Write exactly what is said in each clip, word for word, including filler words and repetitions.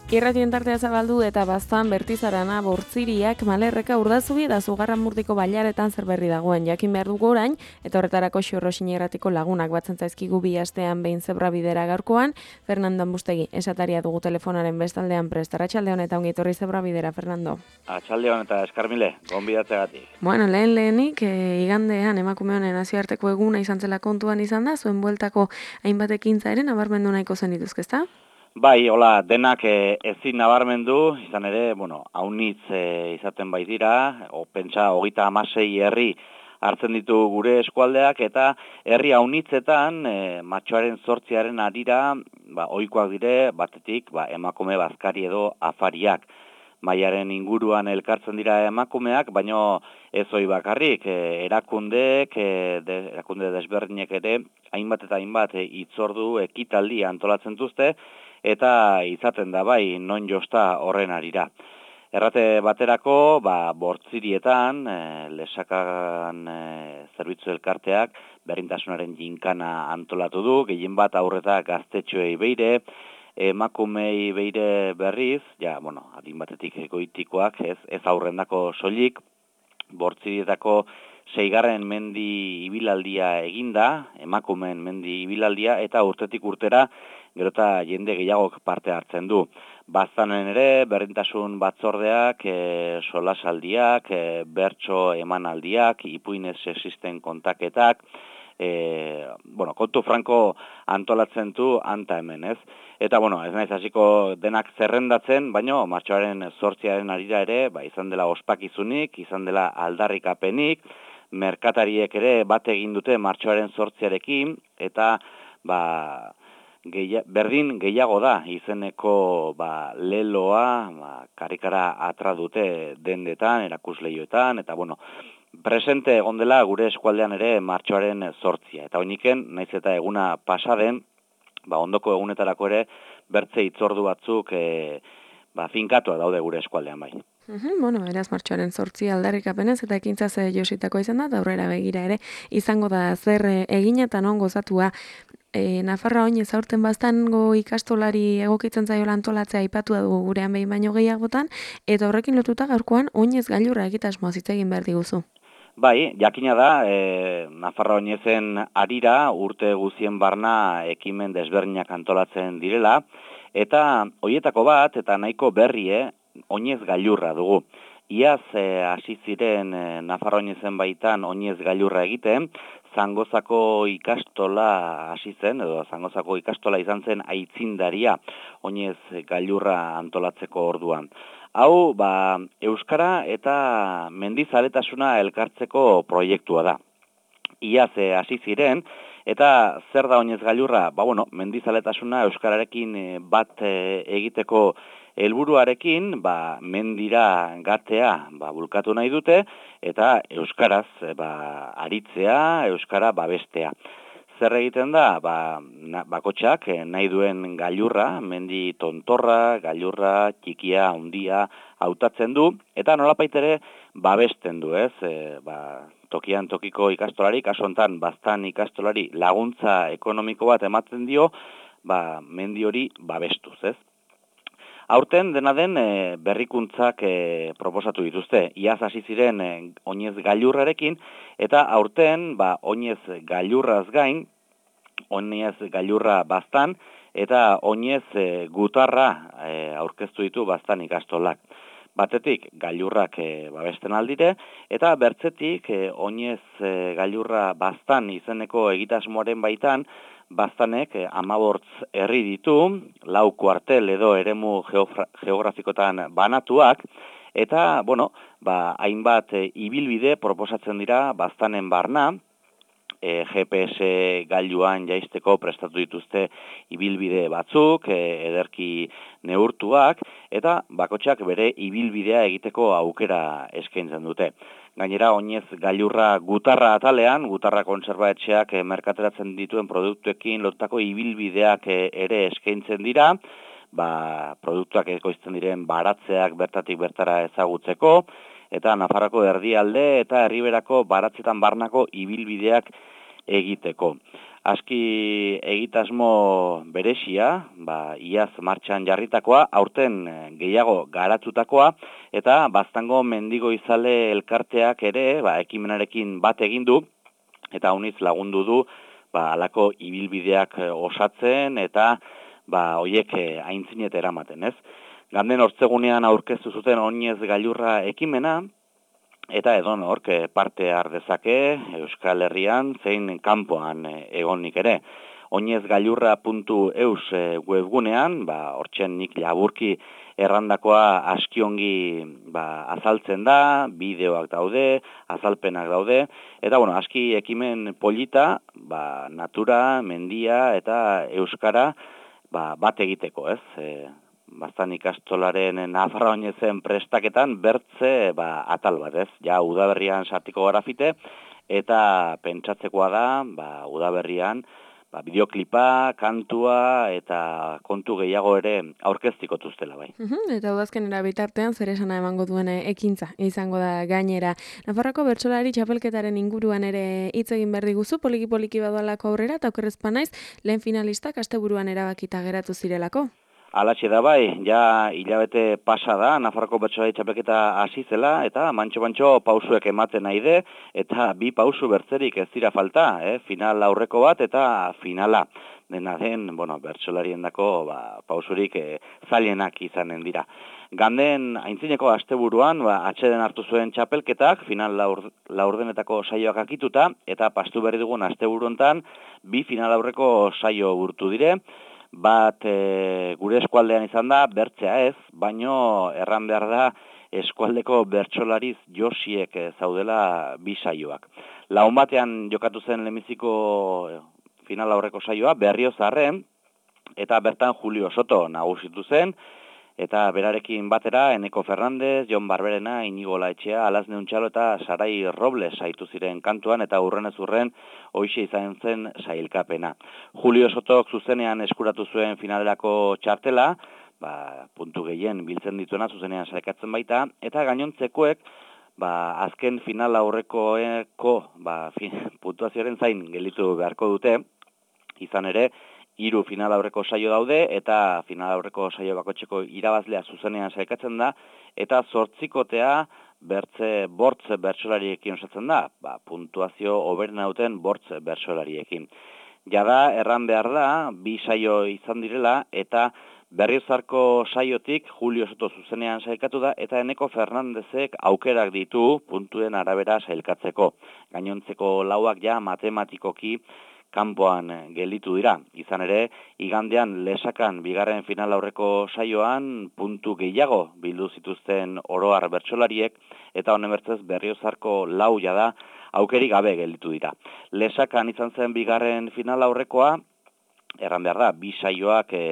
Irratien tartea zabaldu eta baztan bertizarana bortziriak malerreka urdazubi eta zugarramurdiko bailaretan zer berri dagoen jakin behar dugu orain, eta horretarako xorrosin irratiko lagunak batzen zaizkigu bi astean behin zebra bidera gaurkoan. Fernando Ambustegi, esataria dugu telefonaren bestaldean prest. Arratsaldeon eta ongi etorri zebra bidera, Fernando. Arratsaldeon eta eskarmile, gonbidatzeagatik. Bueno, lehen lehenik, e, igandean emakume honen nazioarteko eguna izan zela kontuan izan da, zuen bueltako hainbat ekintza ere nabarmendu nahiko zen dituzke, ezta? Bai, hola, denak e, ezin nabarmendu, izan ere, bueno, haunitz e, izaten bai dira, o, pentsa, hogeita hamasei herri hartzen ditu gure eskualdeak, eta herri haunitzetan, e, matxoaren zortziaren arira, ba, ohikoak dire, batetik, ba, emakume bazkari edo afariak. Maiaren inguruan elkartzen dira emakumeak, baino ez hori bakarrik, e, erakundeek, e, de, erakunde desberdinek ere, hainbat eta hainbat e, hitzordu ekitaldi antolatzen duzte, eta izaten da bai non josta horren arira. Errate baterako, ba, bortzirietan, e, lesakan e, zerbitzu elkarteak berdintasunaren jinkana antolatu du, gehien bat aurreta gaztetxoei beire, emakumei beire berriz, ja, bueno, adin batetik egoitikoak, ez, ez aurrendako soilik, bortzirietako seigarren mendi ibilaldia eginda, emakumeen mendi ibilaldia, eta urtetik urtera, gero eta jende gehiagok parte hartzen du. Baztanen ere, berdintasun batzordeak, e, solasaldiak, e, bertso emanaldiak, ipuinez existen kontaketak, e, bueno, kontu franko antolatzen du anta hemen, ez? Eta, bueno, ez naiz hasiko denak zerrendatzen, baino martxoaren zortziaren arira ere, ba, izan dela ospakizunik, izan dela aldarrikapenik, merkatariek ere bat egin dute martxoaren zortziarekin, eta ba, gehi, berdin gehiago da izeneko ba, leloa, ba, karikara atra dute dendetan, erakusleioetan, eta bueno, presente egon dela gure eskualdean ere martxoaren zortzia. Eta oiniken, naiz eta eguna pasaden, ba, ondoko egunetarako ere bertze hitzordu batzuk e, ba, finkatuak daude gure eskualdean bai. Uhum, bueno, beraz martxoaren zortzi aldarrikapenez eta ekintza ze jositako izan da, eta aurrera begira ere izango da zer egin eta non gozatua. E, Nafarra oinez aurten baztango ikastolari egokitzen zaiola antolatzea aipatu dugu gurean behin baino gehiagotan, eta horrekin lotuta gaurkoan oinez gailurra egitasmoa hitz egin behar diguzu. Bai, jakina da, e, Nafarra oinezen arira urte guzien barna ekimen desberdinak antolatzen direla, eta hoietako bat, eta nahiko berrie, oinez gailurra dugu. Iaz e, hasi ziren e, Nafarra oinezen baitan oinez gailurra egiten, Zangozako ikastola hasi zen, edo Zangozako ikastola izan zen aitzindaria oinez gailurra antolatzeko orduan. Hau, ba, euskara eta mendizaletasuna elkartzeko proiektua da. Iaz e, hasi ziren, eta zer da oinez gailurra? Ba, bueno, mendizaletasuna euskararekin bat e, egiteko helburuarekin, ba, mendira gatea ba, bulkatu nahi dute, eta euskaraz ba, aritzea, euskara babestea. Zer egiten da? Ba, na, bakotxak nahi duen gailurra, mendi tontorra, gailurra, txikia, handia hautatzen du, eta nolapait ere babesten du, ez? E, ba, tokian tokiko ikastolari, kaso hontan baztan ikastolari laguntza ekonomiko bat ematen dio, ba, mendi hori babestuz, ez? Aurten dena den e, berrikuntzak e, proposatu dituzte. Iaz hasi ziren e, oinez gailurrarekin, eta aurten ba, oinez gailurraz gain, oinez gailurra baztan, eta oinez e, gutarra e, aurkeztu ditu baztan ikastolak. Batetik gailurrak e, babesten aldire, eta bertzetik e, oinez e, gailurra baztan izeneko egitasmoaren baitan, baztanek hamabortz herri ditu, lau kuartel edo eremu geografikotan banatuak, eta, bueno, ba, hainbat e, ibilbide proposatzen dira baztanen barna, e, G P S gailuan jaisteko prestatu dituzte ibilbide batzuk, e, ederki neurtuak, eta bakotxak bere ibilbidea egiteko aukera eskaintzen dute. Gainera, oinez gailurra gutarra atalean, gutarra kontserbaetxeak e, merkateratzen dituen produktuekin lotutako ibilbideak e, ere eskaintzen dira, ba, produktuak ekoizten diren baratzeak bertatik bertara ezagutzeko, eta Nafarroko erdialde eta herriberako baratzetan barnako ibilbideak egiteko. aski egitasmo beresia, ba, iaz martxan jarritakoa, aurten gehiago garatutakoa, eta Baztango mendigo izale elkarteak ere, ba, ekimenarekin bat egin du, eta uniz lagundu du, ba, alako ibilbideak osatzen, eta ba, hoiek aintzinet eramaten, ez? Ganden hortzegunean aurkeztu zuten oinez gailurra ekimena, eta edo nork parte har dezake Euskal Herrian zein kanpoan egonik ere. Oinezgailurra puntu eus webgunean, ba, hortzen nik laburki errandakoa askiongi ba, azaltzen da, bideoak daude, azalpenak daude, eta bueno, aski ekimen polita, ba, natura, mendia eta euskara ba, bat egiteko, ez? E, Baztan ikastolaren Nafarra Oinezen prestaketan bertze ba, atal bat, ez? Ja, udaberrian sartiko grafite, eta pentsatzekoa da, ba, udaberrian, ba, bideoklipa, kantua eta kontu gehiago ere aurkeztiko tuztela, bai. Uhum, eta udazkenera bitartean zer esana emango duen ekintza izango da gainera. Nafarroko bertsolari txapelketaren inguruan ere hitz egin behar diguzu, poliki-poliki badoalako aurrera, eta okerrezpa naiz, lehen finalistak asteburuan erabakita geratu zirelako. Alatxe da bai, ja hilabete pasa da, Nafarroko bertsolari txapelketa hasi zela, eta mantxo-mantxo pausuek ematen nahi de, eta bi pausu bertzerik ez dira falta, eh? Final aurreko bat eta finala. Dena den, bueno, bertsolarien dako ba, pausurik eh, zailenak izanen dira. Ganden aintzineko asteburuan, ba, atxeden hartu zuen txapelketak, final laur, laurdenetako saioak akituta, eta pastu berri dugun asteburu hontan, bi final aurreko saio burtu dire, bat e, gure eskualdean izan da, bertzea ez, baino erran behar da eskualdeko bertsolariz josiek zaudela bi saioak. Laun batean jokatu zen lehenbiziko final aurreko saioa, Berriozarren, eta bertan Julio Soto nagusitu zen, eta berarekin batera Eneko Fernandez, Jon Barberena, Inigo Laetxea, Alazne Untxalo eta Sarai Robles saitu ziren kantuan, eta urrenez urren hoixe izan zen sailkapena. Julio Sotok zuzenean eskuratu zuen finalerako txartela, ba, puntu gehien biltzen dituena zuzenean sailkatzen baita, eta gainontzekoek ba, azken final aurrekoeko ba, puntuazioaren zain gelitu beharko dute, izan ere, hiru final aurreko saio daude, eta final aurreko saio bakotxeko irabazlea zuzenean sailkatzen da, eta zortzikotea bertze bortz bertsolariekin osatzen da, ba, puntuazio hoberena duten bortz bertsolariekin. Jada, erran behar da, bi saio izan direla, eta Berriozarko saiotik Julio Soto zuzenean sailkatu da, eta Eneko Fernandezek aukerak ditu puntuen arabera sailkatzeko. Gainontzeko lauak ja matematikoki kanpoan gelditu dira. Izan ere, igandean lesakan bigarren final aurreko saioan puntu gehiago bildu zituzten oroar bertsolariek, eta honen bertzez Berriozarko lau jada aukerik gabe gelditu dira. Lesakan izan zen bigarren final aurrekoa, erran behar da, bi saioak e,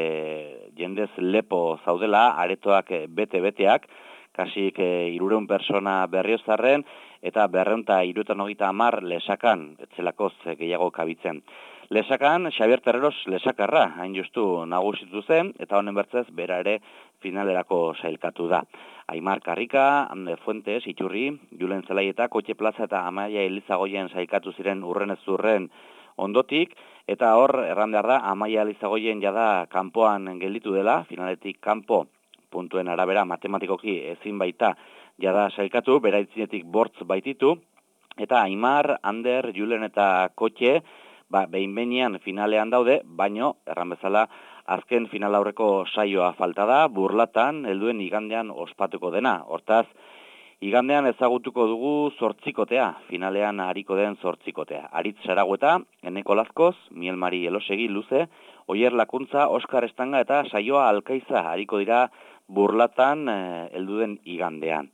jendez lepo zaudela, aretoak bete-beteak, kasik e, irureun persona Berriozarren, eta berreunta iruetan hogeita hamar lesakan, etzelakoz gehiago kabitzen. Lesakan, Xabier Terreros lesakarra, hain justu nagusitu zen, eta honen bertzez, bera ere finalerako sailkatu da. Aimar Karrika, Ande Fuentes, Iturri, Julen Zelaieta, Kotxe Plaza eta Amaia Elizagoien sailkatu ziren urrenez urren ondotik, eta hor, erran behar da, Amaia Elizagoien jada kanpoan gelditu dela, finaletik kanpo, puntuen arabera matematikoki ezin baita jada sailkatu, bera itzinetik bortz baititu, eta Aimar, Ander, Julen eta Kotxe, ba, behin-behinean finalean daude, baino, erran bezala, azken final aurreko saioa falta da, Burlatan, helduen igandean ospatuko dena. Hortaz, igandean ezagutuko dugu zortzikotea, finalean hariko den zortzikotea. Aritz Saragueta, Eneko Lazkoz, Miel Mari Elosegi Luze, Oier Lakuntza, Oskar Estanga eta Saioa Alkaiza hariko dira Burlatan heldu den igandean.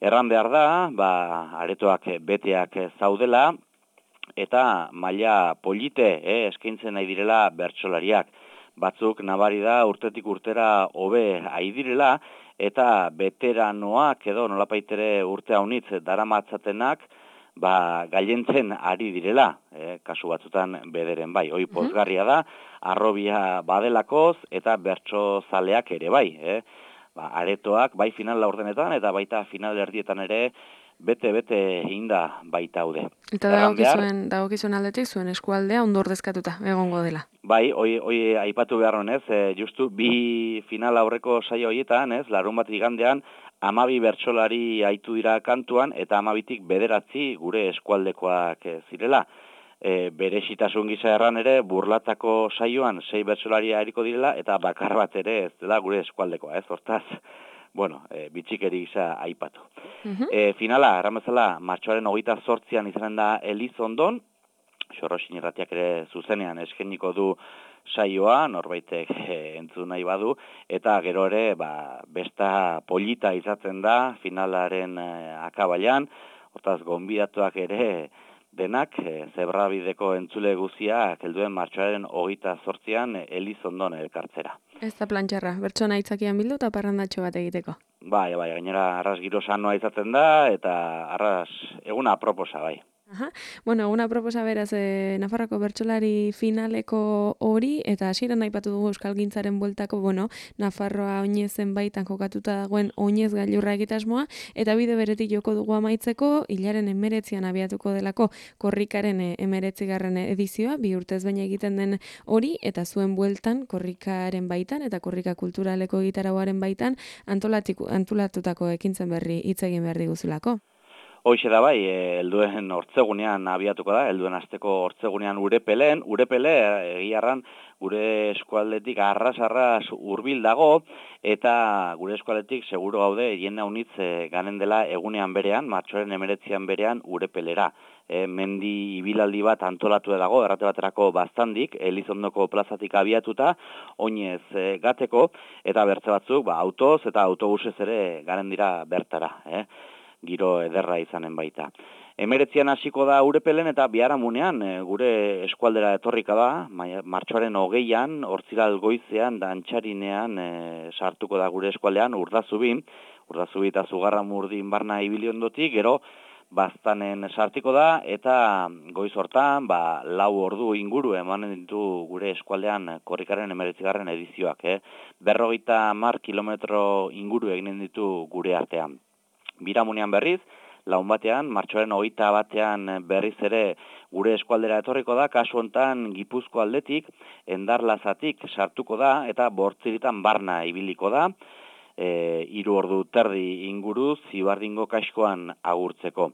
Erran behar da, ba, aretoak beteak zaudela, eta maila polite eh, eskaintzen nahi direla bertsolariak. Batzuk nabari da urtetik urtera hobe ai direla, eta veteranoak edo nolapaitere urte haunitz daramatzatenak, ba, gailentzen ari direla, eh, kasu batzutan bederen bai. Hoi pozgarria da, arrobia badelakoz eta bertso zaleak ere bai. Eh. Ba, aretoak bai final laurdenetan eta baita final erdietan ere bete-bete hinda baita haude. Eta dagokizuen, dagokizuen aldetik zuen eskualdea ondo ordezkatuta egongo dela. Bai, hoi, hoi aipatu behar honez, e, justu bi final aurreko saio horietan, ez, larun bat igandean, amabi bertsolari aitu dira kantuan, eta amabitik bederatzi gure eskualdekoak e, zirela. E, bere xitasun gisa erran ere, burlatako saioan sei bertsolari eriko direla, eta bakar bat ere ez dela gure eskualdekoa, ez, hortaz, bueno, e, bitxikeri gisa aipatu. Uh-huh. E, finala, erramezala, martxoaren hogeita zortzian izanen da Elizondon, Xorroxin irratiak ere zuzenean eskeniko du saioa, norbaitek e, entzun nahi badu, eta gero ere, ba, besta polita izaten da, finalaren e, akabailan, hortaz, gonbidatuak ere, denak, e, zebrabideko entzule guziak, helduen martxoaren hogeita zortzian Elizondon elkartzera. Ez da plantxarra, bertsona aitzakian bildu eta parrandatxo bat egiteko. Bai, bai, gainera arras giro sanoa izaten da, eta arras eguna aproposa, bai. Aha. Bueno, una proposa beraz e, Nafarroko bertsolari finaleko hori, eta hasieran aipatu dugu euskalgintzaren bueltako, bueno, Nafarroa oinezen baitan kokatuta dagoen oinez gailurra egitasmoa, eta bide beretik joko dugu amaitzeko, hilaren emeretzian abiatuko delako korrikaren emeretzigarren edizioa, bi urtez baina egiten den hori, eta zuen bueltan korrikaren baitan, eta korrika kulturaleko gitarauaren baitan, antolatutako ekintzen berri hitz egin behar diguzulako. Hoxe da bai, helduen hortzegunean abiatuko da, helduen asteko hortzegunean Urepelen, Urepele egiarran gure eskualdetik arras-arras hurbil dago, eta gure eskualdetik seguru gaude jende haunitz e, ganen dela egunean berean, martxoaren emeretzian berean Urepelera. E, mendi ibilaldi bat antolatu dago, errate baterako baztandik, Elizondoko plazatik abiatuta, oinez e, gateko, eta bertze batzuk ba, autoz eta autobusez ere ganen dira bertara, eh? Giro ederra izanen baita. Emeretzian hasiko da Urepelen eta biharamunean e, gure eskualdera etorrika da, martxoaren hogeian, hortziral goizean, dantxarinean e, sartuko da gure eskualdean, Urdazubin, Urdazubi eta Zugarramurdin barna ibili ondotik, gero baztanen sartiko da, eta goiz hortan, ba, lau ordu inguru emanen ditu gure eskualdean korrikaren emeretzigarren edizioak. Eh? Berrogeita mar kilometro inguru eginen ditu gure artean. Biramunean berriz, laun batean, martxoaren hogeita batean berriz ere gure eskualdera etorriko da, kasu hontan Gipuzko aldetik, Endarlazatik sartuko da, eta Bortziritan barna ibiliko da, e, hiru ordu terdi inguru Zibardingo kaskoan agurtzeko.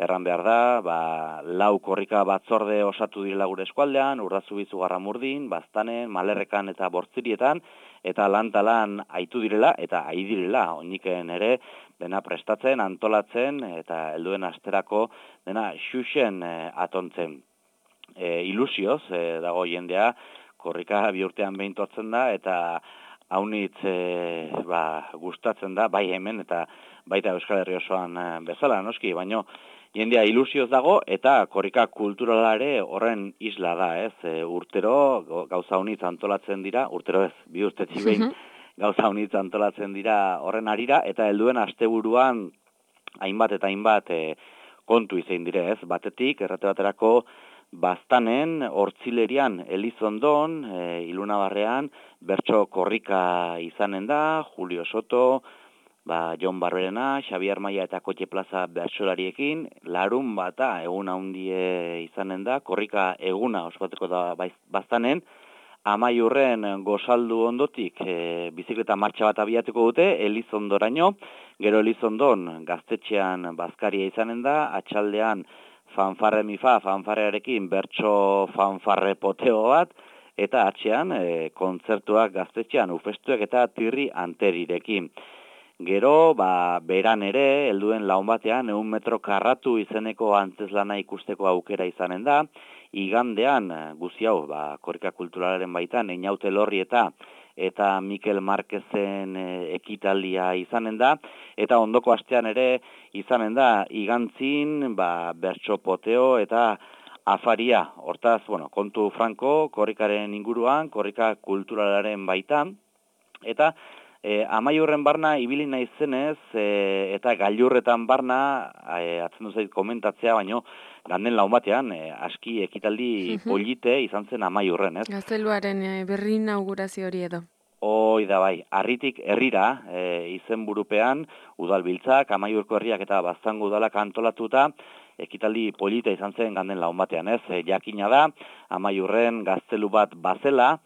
Erran behar da, ba, lau korrika batzorde osatu direla gure eskualdean, Urdazubi, Zugarramurdin, Baztanen, Malerrekan eta Bortzirietan, eta lan-talan aitu direla, eta ai direla, oiniken ere, dena prestatzen, antolatzen, eta helduen asterako dena xuxen e, atontzen. E, ilusioz, e, dago jendea, korrika bi urtean behin tortzen da, eta haunitz e, ba, gustatzen da, bai hemen, eta baita Euskal Herri osoan e, bezala, noski, baino, jendea ilusioz dago, eta korrika kulturalare horren isla da, ez? E, urtero gauza haunitz antolatzen dira, urtero ez, bi urtetik behin, gauza haunitz antolatzen dira horren arira, eta helduen asteburuan hainbat eta hainbat e, kontu izein dire, ez? Batetik, errate baterako, Baztanen, Hortzilerian, Elizondon, e, Ilunabarrean, bertso korrika izanen da, Julio Soto, ba, Jon Barberena, Xabier Maia eta Kotxe Plaza bertsolariekin, larun bata egun handie izanen da, korrika eguna ospatuko da Baztanen, Amaiurren gozaldu ondotik e, bizikleta martxa bat abiatuko dute, Elizondoraino, gero Elizondon gaztetxean bazkaria izanen da, atxaldean fanfarre mifa, fanfarrearekin bertso fanfarre poteo bat, eta atxean e, kontzertuak gaztetxean ufestuek eta tirri anterirekin. Gero, ba, beran ere, helduen laun batean, eun metro karratu izeneko antzeslana ikusteko aukera izanen da, igandean, guzi hau, ba, korrika kulturalaren baitan, Einaute Lorri eta eta Mikel Marquezen e, ekitaldia izanen da, eta ondoko astean ere izanen da, igantzin, ba, bertso poteo eta afaria. Hortaz, bueno, kontu franko, korrikaren inguruan, korrika kulturalaren baitan, eta E, amaiurren barna ibili naizenez e, eta gailurretan barna e, atzen duzait komentatzea, baino ganden laun batean e, aski ekitaldi polite izan zen amaiurren, ez? Gazteluaren e, berri inaugurazio hori edo. Hoi da bai, Harritik herrira, e, izenburupean, udalbiltzak, Amaiurko herriak eta Baztango udalak antolatuta, ekitaldi polita izan zen ganden laun batean, ez? E, jakina da, Amaiurren gaztelu bat bazela,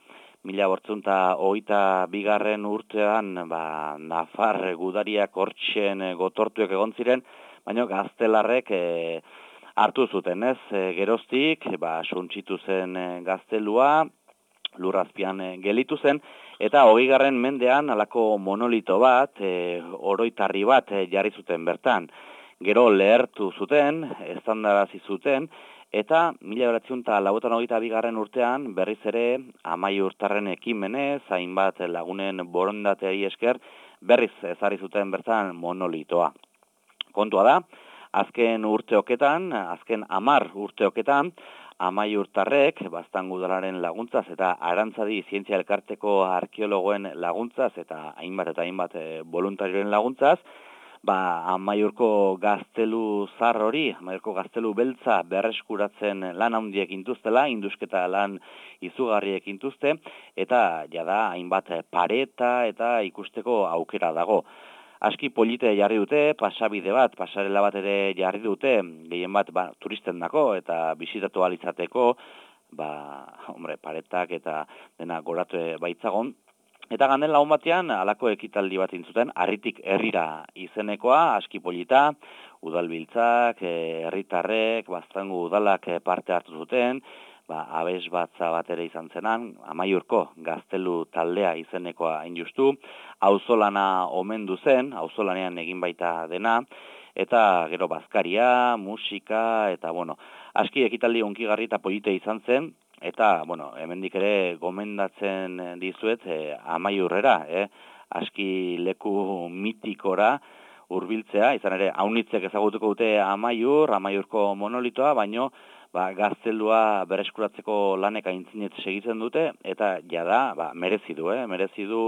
mila bortzunta hogeita bigarren urtean, ba, Nafar gudariak hortxen gotortuek egon ziren, baina gaztelarrek e, hartu zuten, ez? E, geroztik, ba, suntsitu zen e, gaztelua, lurrazpian e, gelitu zen, eta hogeigarren mendean halako monolito bat, e, oroitarri bat e, jarri zuten bertan. Gero lehertu zuten, estandarazi zuten, eta mila bederatziehun eta laurogeita hogeita bigarren urtean berriz ere Amaiurtarren ekimenez, hainbat lagunen borondateari esker, berriz ezarri zuten bertan monolitoa. Kontua da, azken urteoketan, azken hamar urteoketan, Amaiurtarrek, Baztango udalaren laguntzaz eta Arantzadi zientzia elkarteko arkeologoen laguntzaz eta hainbat eta hainbat e, voluntarioen laguntzaz, ba, Amaiurko gaztelu zar hori, Amaiurko gaztelu beltza berreskuratzen lan handiek intuztela, indusketa lan izugarriek intuzte, eta jada hainbat pareta eta ikusteko aukera dago. Aski polite jarri dute, pasabide bat, pasarela bat ere jarri dute, gehien bat ba, turisten dako eta bisitatu alizateko, ba, hombre, paretak eta dena goratu baitzagon. Eta ganden lagun batean, halako ekitaldi bat intzuten, Harritik herrira izenekoa, aski polita, udalbiltzak, herritarrek, Baztango udalak parte hartu zuten, ba, abes batza bat ere izan zenan, Amaiurko gaztelu taldea izenekoa injustu, auzolana omendu zen, auzolanean egin baita dena, eta gero bazkaria, musika, eta bueno, aski ekitaldi onkigarri eta polite izan zen, eta, bueno, hemendik ere gomendatzen dizuet e, Amaiurrera, eh? Aski leku mitikora hurbiltzea, izan ere, haunitzek ezagutuko dute Amaiur, Amaiurko monolitoa, baino, ba, gaztelua bereskuratzeko lanek aintzinet segitzen dute, eta jada, ba, merezi du, eh? merezi du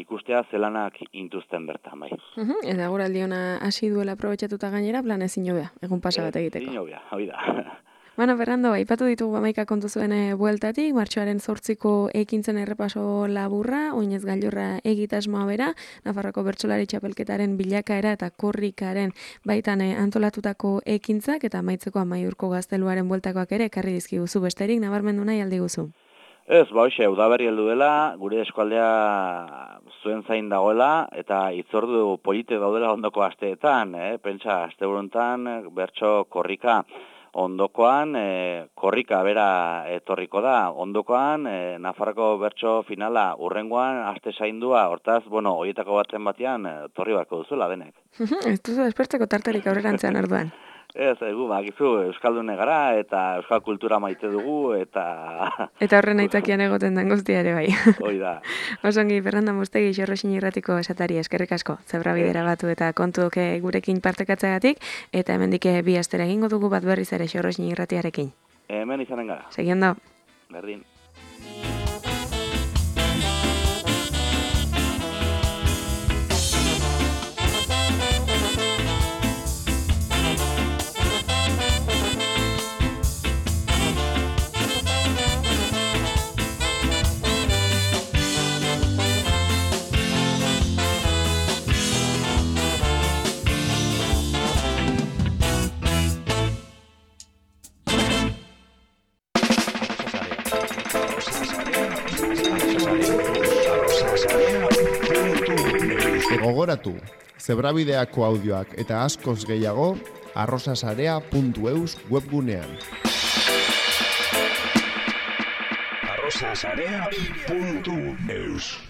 ikustea zelanak intuzten bertan, bai. Uh-huh. Eta guraldi ona hasi duela aprobetxatuta gainera, plan ezin jobea, egun pasa bat egiteko. Ezin jobea, hoi da. Bueno, Fernando, aipatu ditugu hamaika kontu zuen bueltatik, martxoaren zortziko ekintzen errepaso laburra, oinez gailurra egitasmoa bera, Nafarroko bertsolari txapelketaren bilakaera eta korrikaren baitan antolatutako ekintzak, eta amaitzeko Amaiurko gazteluaren bueltakoak ere ekarri dizkiguzu besterik, nabarmendu nahi aldi guzu. Ez, ba hoxe, udaberri heldu dela, gure eskualdea zuen zain dagoela, eta itzordu polite daudela ondoko asteetan, eh? Pentsa, asteburuntan, bertso korrika, ondokoan, e, korrika bera etorriko da, ondokoan, e, Nafarroko bertso finala urrengoan, aste zaindua, hortaz, bueno, horietako batzen batean, e, torri barko duzuela denek. Ez duzu despertzeko tartarik aurrerantzean orduan. Ez, egu, bakizu, euskaldune gara, eta euskal kultura maite dugu, eta... Eta horren aitzakian egoten den guztia ere bai. Hoi da. Osongi, Fernando Mustegi, Xorroxin irratiko esatari eskerrik asko, Zebrabidera batu eta kontuok gurekin partekatzeagatik, eta hemendik bi astera egingo dugu bat berriz ere Xorroxin irratiarekin. Hemen izanen gara. Segindo. Berdin. Gogoratu, Zebrabideako audioak eta askoz gehiago arrosasarea puntu eus webgunean. arrosasarea puntu eus